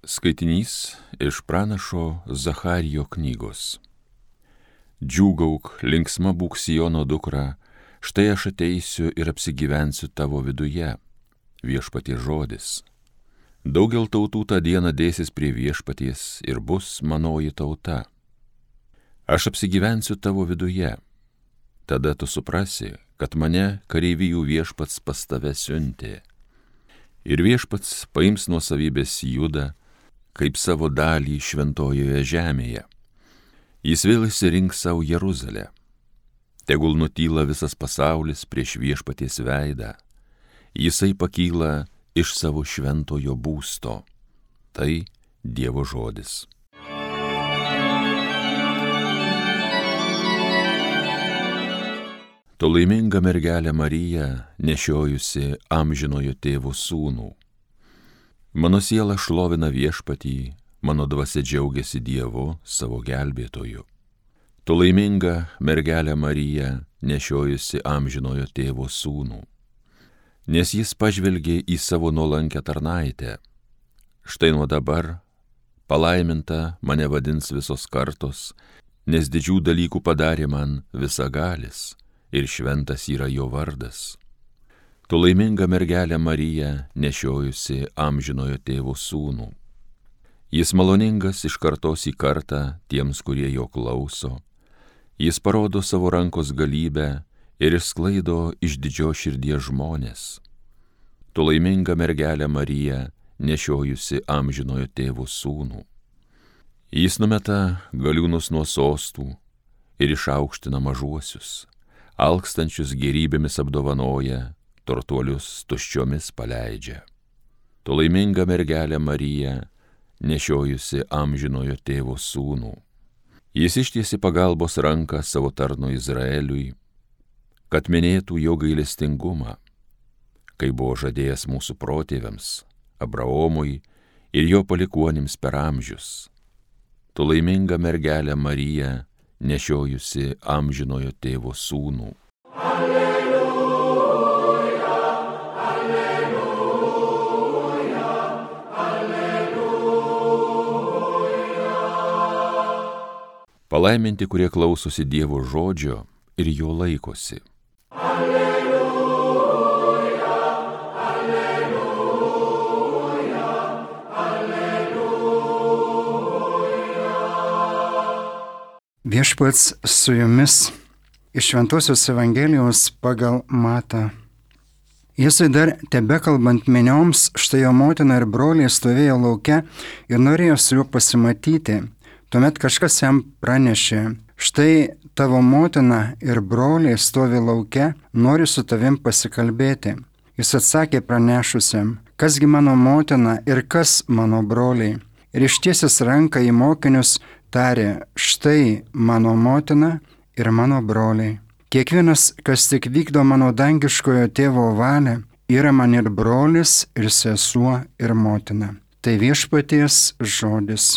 Skaitinys iš pranašo Zacharijo knygos. Džiūgauk, linksma būk Siono dukra, štai aš ateisiu ir apsigyvensiu tavo viduje, viešpaties žodis. Daugel tautų tą dieną dėsis prie viešpaties ir bus manoji tauta. Aš apsigyvensiu tavo viduje, tada tu suprasi, kad mane kareivijų viešpats pas tave siuntė. Ir viešpats paims nuosavybės Judą, kaip savo dalį šventojoje žemėje. Jis vėl išsirinks savo Jeruzalę. Tegul nutyla visas pasaulis prieš viešpaties veidą. Jisai pakyla iš savo šventojo būsto. Tai Dievo žodis. Tu laiminga mergelė Marija, nešiojusi amžinojo tėvo sūnų. Mano siela šlovina viešpatį, mano dvasia džiaugiasi Dievu, savo gelbėtoju. Tu laiminga mergelė Marija, nešiojusi amžinojo tėvo sūnų. Nes jis pažvelgė į savo nuolankę tarnaitę. Štai nuo dabar palaiminta mane vadins visos kartos, nes didžių dalykų padarė man visagalis ir šventas yra jo vardas. Tu laiminga mergelė Marija, nešiojusi amžinojo tėvo sūnų. Jis maloningas iš kartos į kartą tiems, kurie jo klauso. Jis parodo savo rankos galybę ir išsklaido iš didžios širdies žmonės. Tu laiminga mergelė Marija, nešiojusi amžinojo tėvo sūnų. Jis numeta galiūnus nuo sostų ir išaukština mažuosius, alkstančius gėrybėmis apdovanoja, turtuolius tuščiomis paleidžia. Tu laiminga mergelė Marija, nešiojusi amžinojo tėvo sūnų. Jis ištiesi pagalbos ranką savo tarno Izraeliui, kad minėtų jo gailestingumą, kai buvo žadėjęs mūsų protėviams, Abraomui ir jo palikuonims per amžius. Tu laiminga mergelė Marija, nešiojusi amžinojo tėvo sūnų. Palaiminti, kurie klausosi Dievo žodžio ir jo laikosi. Alleluja, alleluja, alleluja. Viešpats su jumis iš Šventosios Evangelijos pagal Matą. Jėzui dar tebekalbant minioms, štai jo motina ir broliai stovėjo lauke ir norėjo su juo pasimatyti. Tuomet kažkas jam pranešė, štai tavo motina ir broliai stovi lauke, nori su tavim pasikalbėti. Jis atsakė pranešusiam, kasgi mano motina ir kas mano broliai. Ir ištiesęs ranką į mokinius tarė, štai mano motina ir mano broliai. Kiekvienas, kas tik vykdo mano dangiškojo tėvo valią, yra man ir brolis, ir sesuo, ir motina. Tai viešpaties žodis.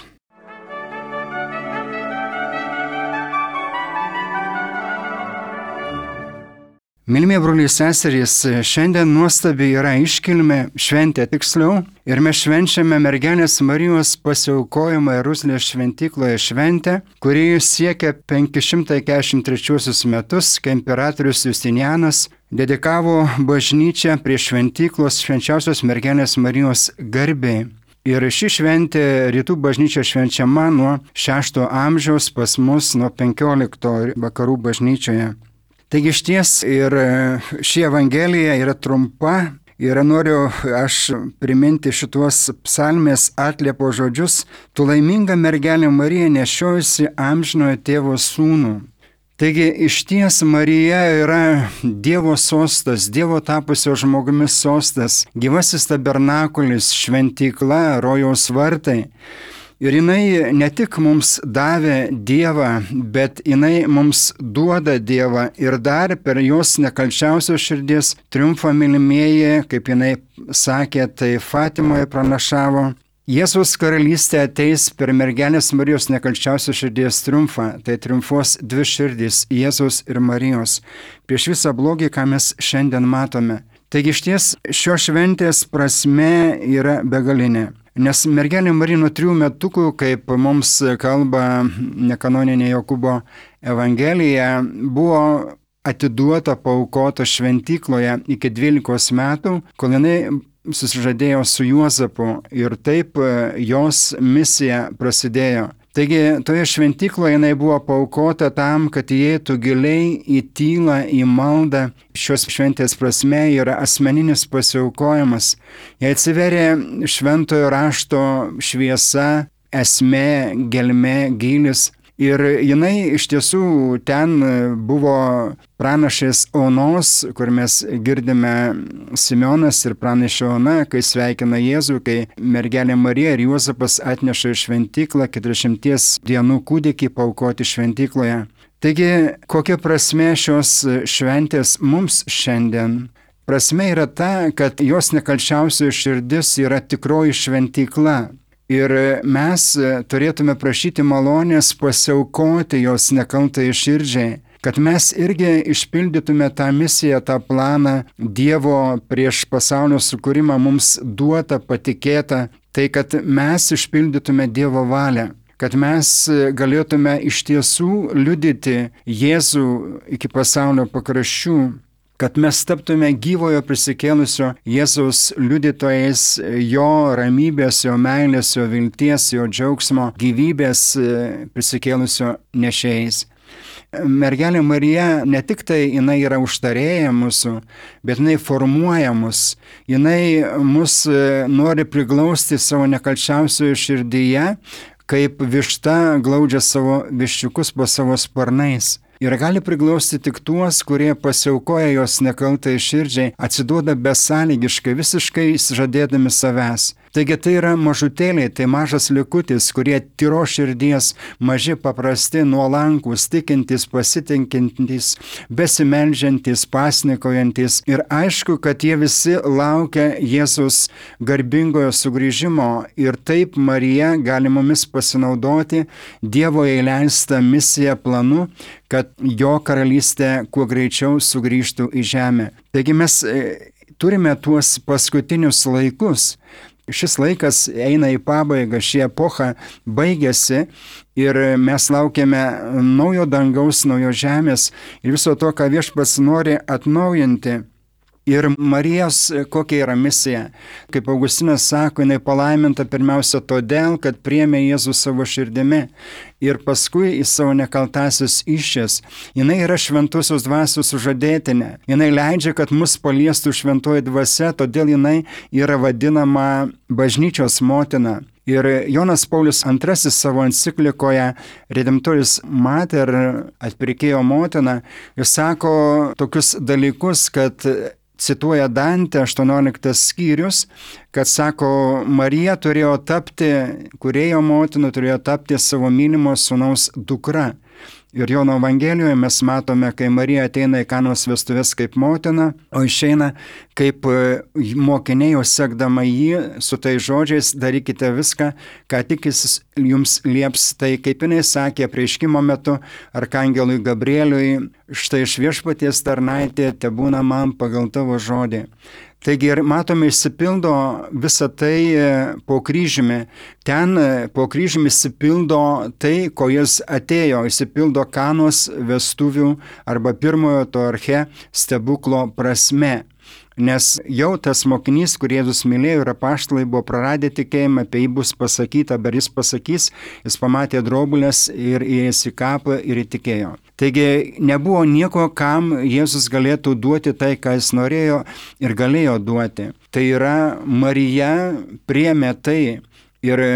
Mylimi broliai seserys, šiandien nuostabi yra iškilmė, šventė tiksliau, ir mes švenčiame mergelės Marijos pasiaukojimą Jeruzalės šventykloje šventę, kuri siekia 543 metus, kai imperatorius Justinianas dedikavo bažnyčią prie šventyklos švenčiausios mergelės Marijos garbei. Ir ši šventė rytų bažnyčia švenčiama nuo 6 amžiaus, pas mus nuo 15 vakarų bažnyčioje. Taigi išties ir ši Evangelija yra trumpa ir noriu aš priminti šituos psalmės atliepo žodžius. Tu laiminga mergelė Marija, nešiojusi amžinojo tėvo sūnų. Taigi išties Marija yra Dievo sostas, Dievo tapusio žmogumi sostas, gyvasis tabernakulis, šventykla, rojaus vartai. Ir jinai ne tik mums davė Dievą, bet jinai mums duoda Dievą ir dar per jos nekalčiausios širdies triumfą, mylimieji, kaip jinai sakė, tai Fatimoje pranašavo. Jėzaus karalystė ateis per mergelės Marijos nekalčiausios širdies triumfą, tai triumfuos dvi širdys - Jėzaus ir Marijos. Prieš visą blogį, ką mes šiandien matome. Taigi išties šios šventės prasme yra begalinė. Nes mergelė Marija nuo 3 metukų, kaip mums kalba nekanoninė Jokūbo Evangelija, buvo atiduota, paaukota šventykloje iki 12 metų, kol jinai susižadėjo su Juozapu ir taip jos misija prasidėjo. Taigi toje šventykloje jinai buvo paaukota tam, kad įeitų giliai į tylą, į maldą. Šios šventės prasme yra asmeninis pasiaukojimas. Jai atsiveria šventojo rašto šviesa, esmė, gelmė, gylis. Ir jinai iš tiesų ten buvo pranašės Onos, kur mes girdime Simeonas ir pranašė Ona, kai sveikina Jėzų, kai mergelė Marija ir Juozapas atneša į šventyklą 40 dienų kūdikį paaukoti šventykloje. Taigi, kokia prasmė šios šventės mums šiandien? Prasmė yra ta, kad jos nekalčiausioji širdis yra tikroji šventykla. Ir mes turėtume prašyti malonės pasiaukoti jos nekaltai širdžiai, kad mes irgi išpildytume tą misiją, tą planą Dievo prieš pasaulio sukūrimą mums duotą, patikėtą, tai kad mes išpildytume Dievo valią, kad mes galėtume iš tiesų liudyti Jėzų iki pasaulio pakraščių, kad mes taptume gyvojo prisikėlusio Jėzaus liudytojais, jo ramybės, jo meilės, jo vilties, jo džiaugsmo, gyvybės prisikėlusio nešėjais. Mergelė Marija ne tik tai jinai yra užtarėja mūsų, bet jinai formuoja mus. Jinai mus nori priglausti savo nekalčiausioje širdyje, kaip višta glaudžia savo viščiukus po savo sparnais. Ir gali priglausti tik tuos, kurie pasiaukoja jos nekaltai širdžiai, atsiduoda besąlygiškai, visiškai žadėdami savęs. Taigi tai yra mažutėliai, tai mažas likutis, kurie tyro širdies, maži, paprasti, nuolankus, tikintys, pasitinkintys, besimeldžiantys, pasnikojantis. Ir aišku, kad jie visi laukia Jėzus garbingojo sugrįžimo ir taip Marija gali mumis pasinaudoti Dievo įleistą misiją planu, kad jo karalystė kuo greičiau sugrįžtų į žemę. Taigi mes turime tuos paskutinius laikus. Šis laikas eina į pabaigą, ši epocha baigėsi ir mes laukiame naujo dangaus, naujo žemės ir viso to, ką Viešpats nori atnaujinti. Ir Marijos kokia yra misija? Kaip Augustinas sako, jinai palaiminta pirmiausia todėl, kad priėmė Jėzų savo širdimi ir paskui į savo nekaltasias išės. Jinai yra šventosios dvasios sužadėtinė. Jinai leidžia, kad mus paliestų šventoji dvasia, todėl jinai yra vadinama bažnyčios motina. Ir Jonas Paulius II savo enciklikoje Redemptoris Mater, atpirkėjo motina, jis sako tokius dalykus, kad cituoja Dante 18 skyrius, kad sako, Marija turėjo tapti, kūrėjo motina turėjo tapti savo mylimo sūnaus dukra. Ir Jono Evangelijoje mes matome, kai Marija ateina į Kanos vestuves kaip motina, o išeina kaip mokiniai, jau sekdama jį su tai žodžiais, darykite viską, ką tik jis jums lieps. Tai kaip jinai sakė apreiškimo metu arkangelui Gabrieliui, štai iš Viešpaties tarnaitė tebūna man pagal tavo žodį. Taigi ir matome, išsipildo visą tai po kryžiumi. Ten po kryžiumi išsipildo tai, ko jis atėjo, išsipildo Kanos vestuvių arba pirmojo to arche stebuklo prasme. Nes jau tas mokinys, kurį Jėzus mylėjo ir apaštalai buvo praradę tikėjimą, apie jį bus pasakyta, bet jis pasakys, jis pamatė drobulės ir įėjęs į kapą ir įtikėjo. Taigi nebuvo nieko, kam Jėzus galėtų duoti tai, ką jis norėjo ir galėjo duoti. Tai yra Marija priėmė tai ir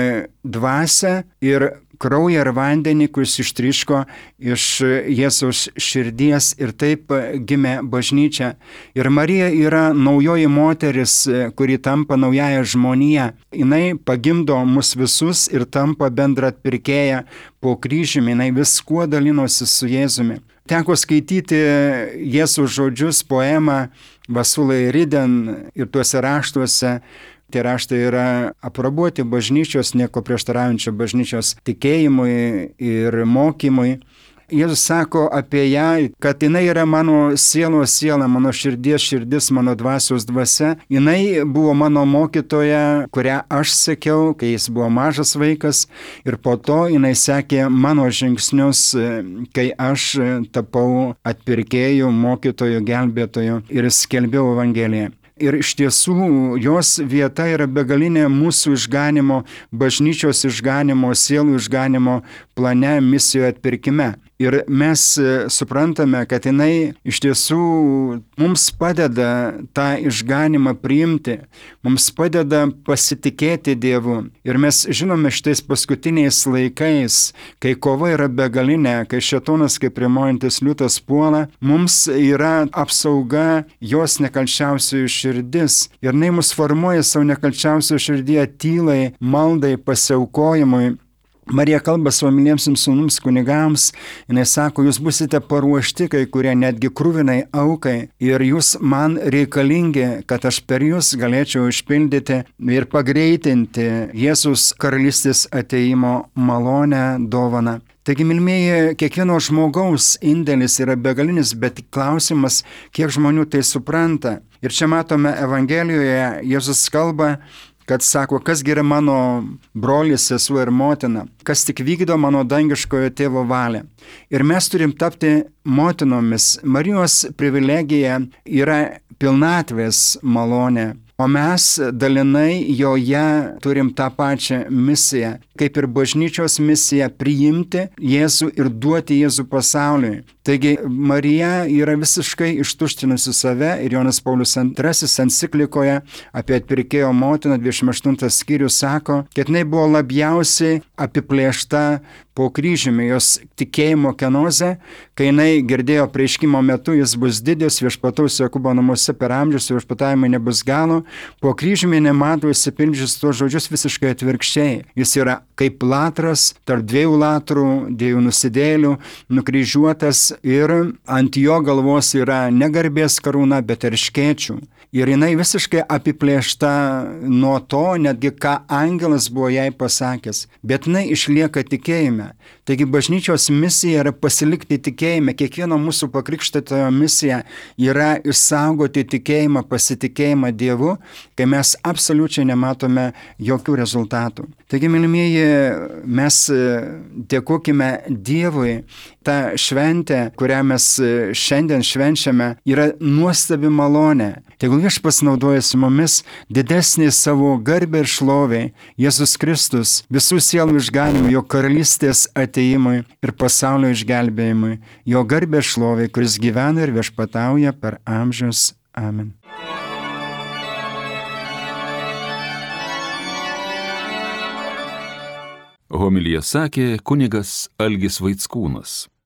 dvasią, ir kraują ir vandenį, kuris ištryško iš Jėzaus širdies ir taip gimė bažnyčia. Ir Marija yra naujoji moteris, kuri tampa naująją žmoniją. Jinai pagimdo mus visus ir tampa bendra atpirkėja po kryžiumi, jinai viskuo dalinosi su Jėzumi. Teko skaityti Jėzaus žodžius, poemą Vasulai Riden ir tuose raštuose. Tie raštai yra aprobuoti bažnyčios, nieko prieštaraujančio bažnyčios tikėjimui ir mokymui. Jėzus sako apie ją, kad jinai yra mano sielos siela, mano širdies širdis, mano dvasios dvasia. Jinai buvo mano mokytoja, kurią aš sekiau, kai jis buvo mažas vaikas, ir po to jinai sekė mano žingsnius, kai aš tapau atpirkėjų, mokytojų, gelbėtojų ir skelbiau Evangeliją. Ir iš tiesų jos vieta yra begalinė mūsų išganimo, bažnyčios išganimo, sielų išganimo plane, misijoje atpirkime. Ir mes suprantame, kad jinai iš tiesų mums padeda tą išganimą priimti, mums padeda pasitikėti Dievu. Ir mes žinome šitais paskutiniais laikais, kai kova yra begalinė, kai šėtonas kaip rimuojantis liūtas puola, mums yra apsauga jos nekalčiausiųjų širdis. Ir jinai mus formuoja savo nekalčiausioje širdyje tylai, maldai, pasiaukojimui. Marija kalba savo myliemsiems sūnums kunigams, jinai sako, jūs busite paruošti, kai kurie netgi kruvinai aukai, ir jūs man reikalingi, kad aš per jūs galėčiau išpildyti ir pagreitinti Jėzus karalystės ateimo malonę, dovaną. Taigi, mylimieji, kiekvieno žmogaus indėlis yra begalinis, bet klausimas, kiek žmonių tai supranta. Ir čia matome Evangelijoje, Jėzus kalba, kad sako, kasgi yra mano brolis, sesuo ir motina, kas tik vykdo mano dangiškojo tėvo valią. Ir mes turim tapti motinomis. Marijos privilegija yra pilnatvės malonė, o mes dalinai joje turim tą pačią misiją, kaip ir bažnyčios misiją priimti Jėzų ir duoti Jėzų pasauliui. Taigi Marija yra visiškai ištuštinusi save ir Jonas Paulius II enciklikoje apie atpirkėjo motiną 28 skyrius sako, kad jinai buvo labiausiai apiplėšta po kryžiumi, jos tikėjimo kenozė, kai jinai girdėjo apreiškimo metu, jis bus didis, viešpataus Jokūbo namuose per amžius, viešpatavimai nebus galo, po kryžiumi nemato įsipildžius tuos žodžius visiškai atvirkščiai. Jis yra kaip latras, tarp dviejų latrų, dviejų nusidėlių, nukryžiuotas ir ant jo galvos yra ne garbės karūna, bet erškėčių. Ir jinai visiškai apiplėšta nuo to, netgi ką angelas buvo jai pasakęs, bet jinai išlieka tikėjime. Taigi bažnyčios misija yra pasilikti tikėjime, kiekvieno mūsų pakrikštytojo misija yra išsaugoti tikėjimą, pasitikėjimą Dievu, kai mes absoliučiai nematome jokių rezultatų. Taigi, mylimieji, mes dėkokime Dievui. Ta šventė, kurią mes šiandien švenčiame, yra nuostabi malonė. Tegul Viešpats naudojasi mumis didesnį savo garbę ir šlovę, Jėzus Kristus, visų sielų išganimui, jo karalystės ateimui ir pasaulio išgelbėjimui, jo garbę ir šlovę, kuris gyvena ir viešpatauja per amžius. Amen. Homiliją sakė kunigas Algis Vaickūnas.